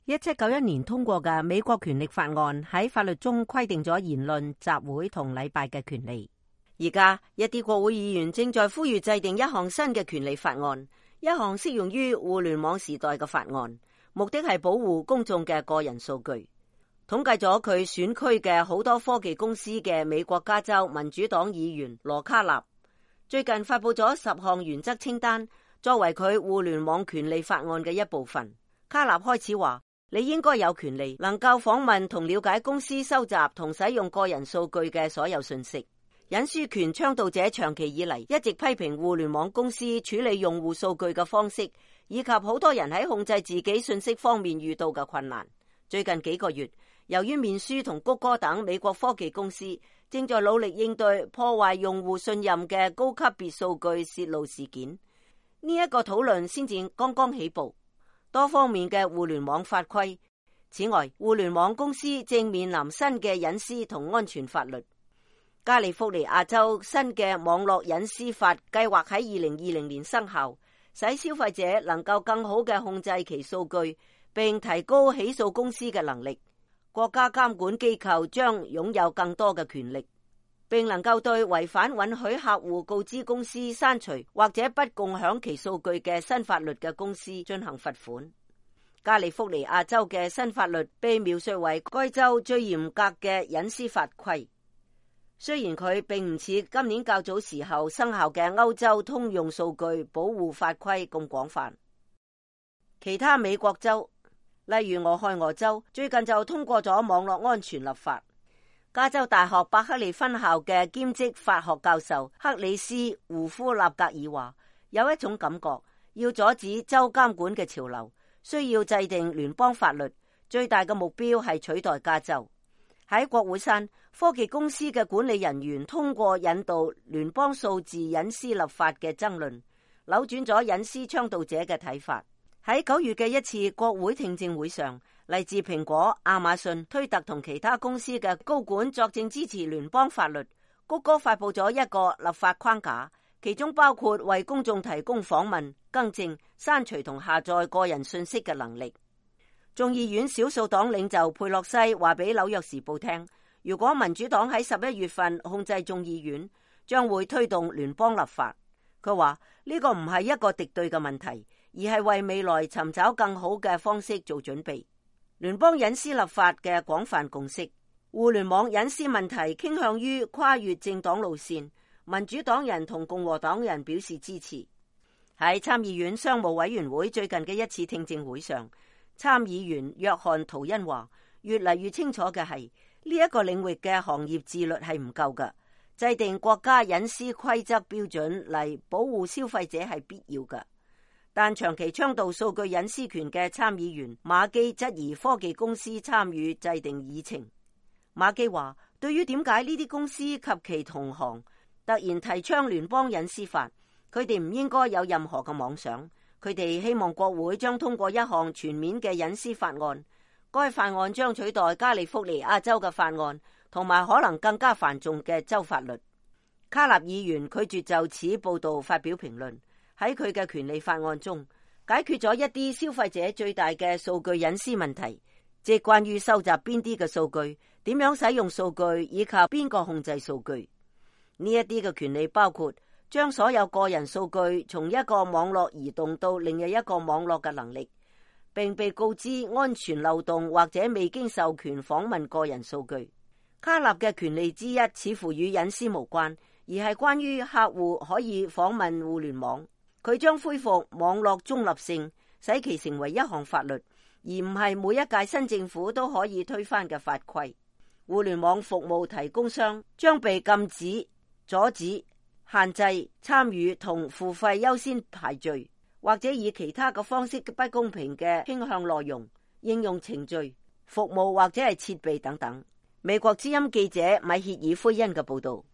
1791年通過嘅美國權力法案喺法律中規定咗言論、集會同禮拜嘅權利。而家一啲國會議員正在呼籲制定一項新嘅權利法案，一項適用於互聯網時代嘅法案，目的係保護公眾嘅個人數據。統計咗佢選區嘅好多科技公司嘅美國加州民主黨議員羅卡納最近發佈咗10項原則清單，作為佢互聯網權利法案嘅一部分。卡納開始話：你應該有權利能夠訪問同了解公司收集同使用個人數據嘅所有信息。隱私權倡導者長期以嚟一直批評互聯網公司處理用戶數據嘅方式，以及好多人喺控制自己信息方面遇到嘅困難。最近幾個月，由於面書同谷歌等美國科技公司正在努力應對破壞用戶信任嘅高級別數據泄露事件，呢一個討論先至剛剛起步。多方面嘅互聯網法規。此外，互聯網公司正面臨新嘅隱私同安全法律。加利福尼亞州新嘅網絡隱私法計劃喺2020年生效，使消費者能夠更好嘅控制其數據，並提高起訴公司嘅能力。國家監管機構將擁有更多嘅權力，並能夠對違反允許客戶告知公司刪除或者不共享其數據嘅新法律嘅公司進行罰款。加利福尼亞州嘅新法律被描述為該州最嚴格嘅隱私法規，雖然佢並唔似今年較早時候生效嘅歐洲通用數據保護法規咁廣泛。其他美國州，例如俄亥俄州，最近就通過咗網絡安全立法。加州大學伯克利分校嘅兼職法學教授克里斯胡夫納格爾話：有一種感覺，要阻止州監管嘅潮流，需要制定聯邦法律，最大嘅目標係取代加州。喺國會山，科技公司嘅管理人員通過引導聯邦數字隱私立法嘅爭論，扭轉咗隱私倡導者嘅睇法。喺9月嘅一次國會聽證會上，嚟自蘋果、亞馬遜、推特同其他公司嘅高管作證支持聯邦法律。谷歌發佈咗一個立法框架，其中包括為公眾提供訪問、更正、刪除同下載個人信息嘅能力。眾議院少數黨領袖佩洛西話俾紐約時報聽，如果民主黨喺11月份控制眾議院，將會推動聯邦立法。佢話呢個唔係一個敵對嘅問題，而係為未來尋找更好嘅方式做準備。聯邦隱私立法嘅廣泛共識，互聯網隱私問題傾向於跨越政黨路線，民主黨人同共和黨人表示支持。喺參議院商務委員會最近嘅一次聽證會上，參議員約翰圖恩話：越嚟越清楚嘅係呢一個領域嘅行業自律係唔夠㗎，制定國家隱私規則標準嚟保護消費者係必要㗎。但長期倡導數據隱私權嘅參議員馬基質疑科技公司參與制定議程。馬基話：對於點解呢啲公司及其同行突然提倡聯邦隱私法，佢哋唔應該有任何嘅妄想。佢哋希望國會將通過一項全面嘅隱私法案，該法案將取代加利福尼亞州嘅法案，同埋可能更加繁重嘅州法律。卡納議員拒絕就此報導發表評論。喺佢嘅權利法案中，解決咗一啲消費者最大嘅數據隱私問題，即關於收集邊啲嘅數據、點樣使用數據以及邊個控制數據。呢一啲嘅權利包括將所有個人數據從一個網絡移動到另一個網絡嘅能力，並被告知安全漏洞或者未經授權訪問個人數據。卡納嘅權利之一似乎與隱私無關，而係關於客戶可以訪問互聯網。佢將恢復網絡中立性，使其成為一項法律，而唔係每一屆新政府都可以推翻嘅法規。互聯網服務提供商將被禁止、阻止、限制參與同付費優先排序，或者以其他嘅方式不公平嘅傾向內容、應用程序、服務或者係設備等等。美國之音記者米歇爾·奎恩嘅報道。